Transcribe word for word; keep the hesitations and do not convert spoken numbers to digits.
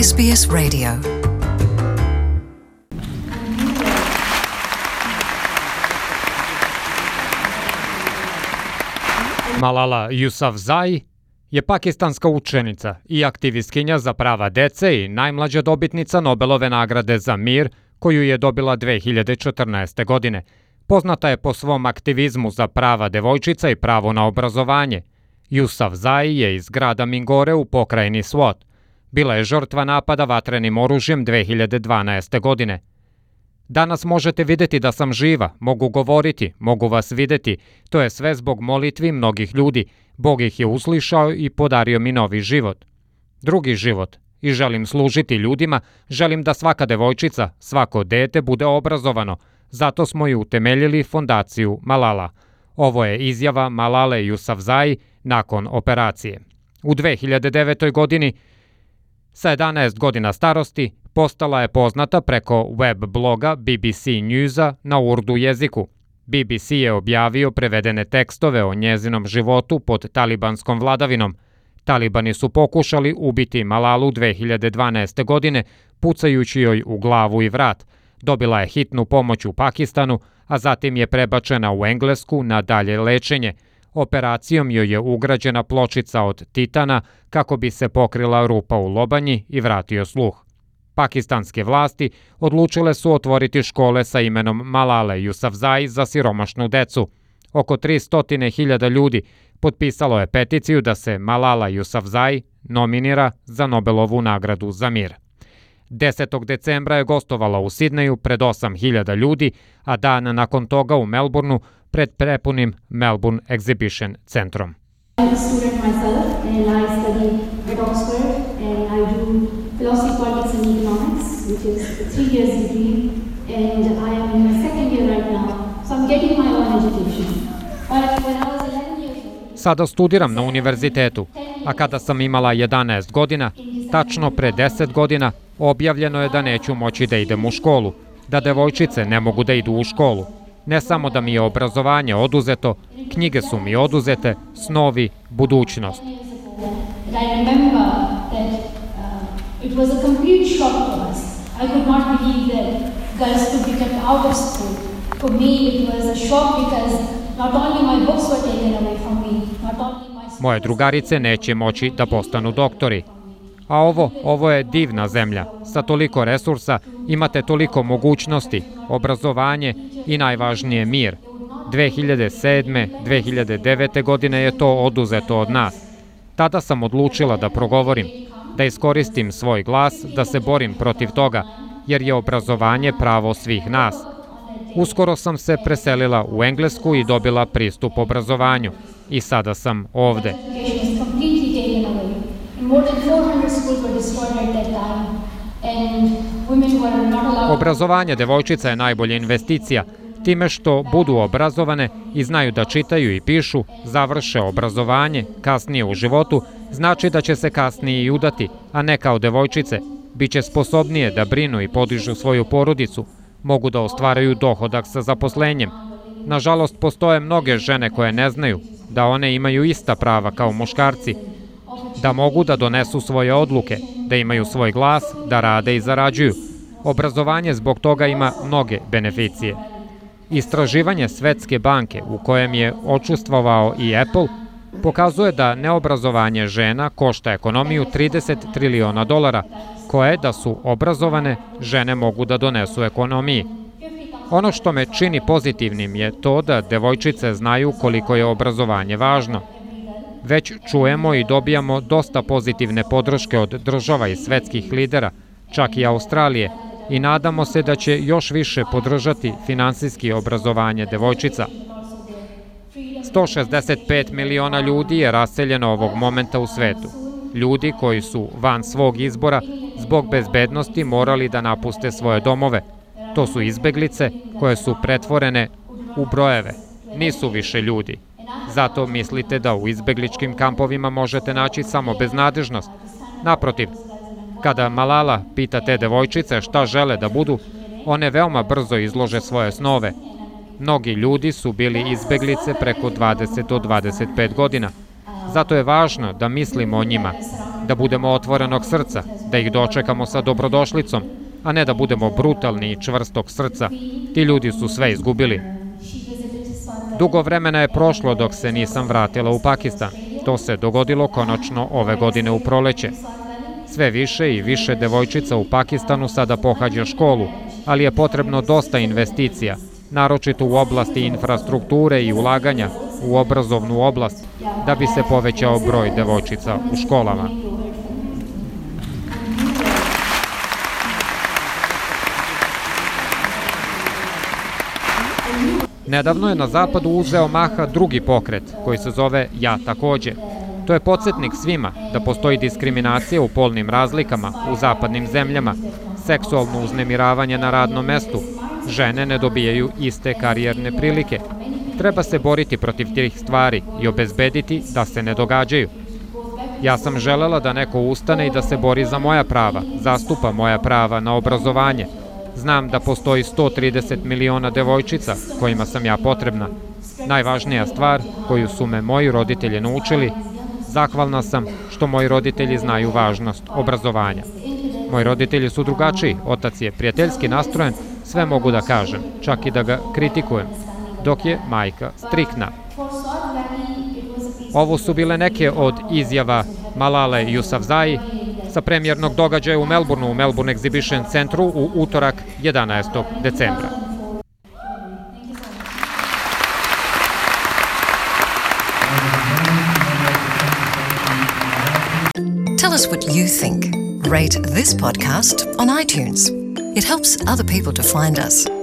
S B S Radio. Malala Yousafzai je pakistanska učenica i aktivistkinja za prava dece i najmlađa dobitnica Nobelove nagrade za mir koju je dobila dve hiljade četrnaeste. godine. Poznata je po svom aktivizmu za prava devojčica i pravo na obrazovanje. Yousafzai je iz grada Mingore u pokrajini Swat. Bila je žrtva napada vatrenim oružjem dve hiljade dvanaeste. godine. Danas možete vidjeti da sam živa, mogu govoriti, mogu vas vidjeti. To je sve zbog molitvi mnogih ljudi. Bog ih je uslišao i podario mi novi život. Drugi život. I želim služiti ljudima, želim da svaka devojčica, svako dete bude obrazovano. Zato smo i utemeljili fondaciju Malala. Ovo je izjava Malale Yousafzai nakon operacije. U dve hiljade devetoj. godini, sa jedanaest godina starosti, postala je poznata preko web bloga B B C Newsa na urdu jeziku. B B C je objavio prevedene tekstove o njezinom životu pod talibanskom vladavinom. Talibani su pokušali ubiti Malalu dve hiljade dvanaeste. godine, pucajući joj u glavu i vrat. Dobila je hitnu pomoć u Pakistanu, a zatim je prebačena u Englesku na dalje lečenje. Operacijom joj je ugrađena pločica od titana kako bi se pokrila rupa u lobanji i vratio sluh. Pakistanske vlasti odlučile su otvoriti škole sa imenom Malale Yousafzai za siromašnu decu. Oko tristo hiljada ljudi potpisalo je peticiju da se Malala Yousafzai nominira za Nobelovu nagradu za mir. desetog decembra je gostovala u Sidneju pred osam hiljada ljudi, a dan nakon toga u Melbourneu pred prepunim Melbourne Exhibition centrom. I'm a student myself and I study at Oxford and I do philosophy, politics and economics, which is a three years degree, and I am in my second year right now, so I'm getting my own education. But when I was eleven years old, Sada studiram na univerzitetu, a kada sam imala jedanaest godina, tačno pre deset godina, objavljeno je da neću moći da idem u školu, da devojčice ne mogu da idu u školu. Ne samo da mi je obrazovanje oduzeto, knjige su mi oduzete, snovi, budućnost. and I remember that uh, it was a complete shock to us. I could not believe that girls could be kept out of school. For me it was a shock because not only my books were taken away from me, not only my... Moje drugarice neće moći da postanu doktori. A ovo, ovo je divna zemlja. Sa toliko resursa imate toliko mogućnosti, obrazovanje i najvažnije mir. dve hiljade sedme. dve hiljade devete. godine je to oduzeto od nas. Tada sam odlučila da progovorim, da iskoristim svoj glas, da se borim protiv toga, jer je obrazovanje pravo svih nas. Uskoro sam se preselila u Englesku i dobila pristup obrazovanju. I sada sam ovde. Education is completely taken away. And more than four hundred schools were destroyed at that time, and women were not allowed... Obrazovanje devojčica je najbolja investicija, time što budu obrazovane i znaju da čitaju i pišu, završe obrazovanje, kasnije u životu, znači da će se kasnije i udati, a ne kao devojčice. Biće sposobnije da brinu i podižu svoju porodicu, mogu da ostvaraju dohodak sa zaposlenjem. Nažalost, postoje mnoge žene koje ne znaju da one imaju ista prava kao muškarci, da mogu da donesu svoje odluke, da imaju svoj glas, da rade i zarađuju. Obrazovanje zbog toga ima mnoge beneficije. Istraživanje Svetske banke u kojem je učestvovao i Apple pokazuje da neobrazovanje žena košta ekonomiju trideset triliona dolara, koje da su obrazovane žene mogu da donesu ekonomiji. Ono što me čini pozitivnim je to da devojčice znaju koliko je obrazovanje važno. Već čujemo i dobijamo dosta pozitivne podrške od država i svetskih lidera, čak i Australije, i nadamo se da će još više podržati finansijski obrazovanje devojčica. sto šezdeset pet miliona ljudi je raseljeno ovog momenta u svetu. Ljudi koji su van svog izbora zbog bezbednosti morali da napuste svoje domove. To su izbeglice koje su pretvorene u brojeve. Nisu više ljudi. Zato mislite da u izbegličkim kampovima možete naći samo beznadežnost. Naprotiv, kada Malala pita te devojčice šta žele da budu, one veoma brzo izlože svoje snove. Mnogi ljudi su bili izbeglice preko dvadeset do dvadeset pet godina. Zato je važno da mislimo o njima, da budemo otvorenog srca, da ih dočekamo sa dobrodošlicom, a ne da budemo brutalni i čvrstog srca. Ti ljudi su sve izgubili. Dugo vremena je prošlo dok se nisam vratila u Pakistan. To se dogodilo konačno ove godine u proleće. Sve više i više devojčica u Pakistanu sada pohađa školu, ali je potrebno dosta investicija, naročito u oblasti infrastrukture i ulaganja u obrazovnu oblast, da bi se povećao broj devojčica u školama. Nedavno je na zapadu uzeo maha drugi pokret, koji se zove Ja takođe. To je podsjetnik svima da postoji diskriminacija u polnim razlikama u zapadnim zemljama, seksualno uznemiravanje na radnom mestu, žene ne dobijaju iste karijerne prilike. Treba se boriti protiv tih stvari i obezbediti da se ne događaju. Ja sam želela da neko ustane i da se bori za moja prava, zastupa moja prava na obrazovanje. Znam da postoji sto trideset miliona devojčica kojima sam ja potrebna. Najvažnija stvar koju su me moji roditelji naučili, zahvalna sam što moji roditelji znaju važnost obrazovanja. Moji roditelji su drugačiji, otac je prijateljski nastrojen, sve mogu da kažem, čak i da ga kritikujem, dok je majka striktna. Ovo su bile neke od izjava Malale Yousafzai sa premijernog događaja u Melbourneu, u Melbourne Exhibition centru u utorak jedanaestog decembra. Tell us what you think. Rate this podcast on iTunes. It helps other people to find us.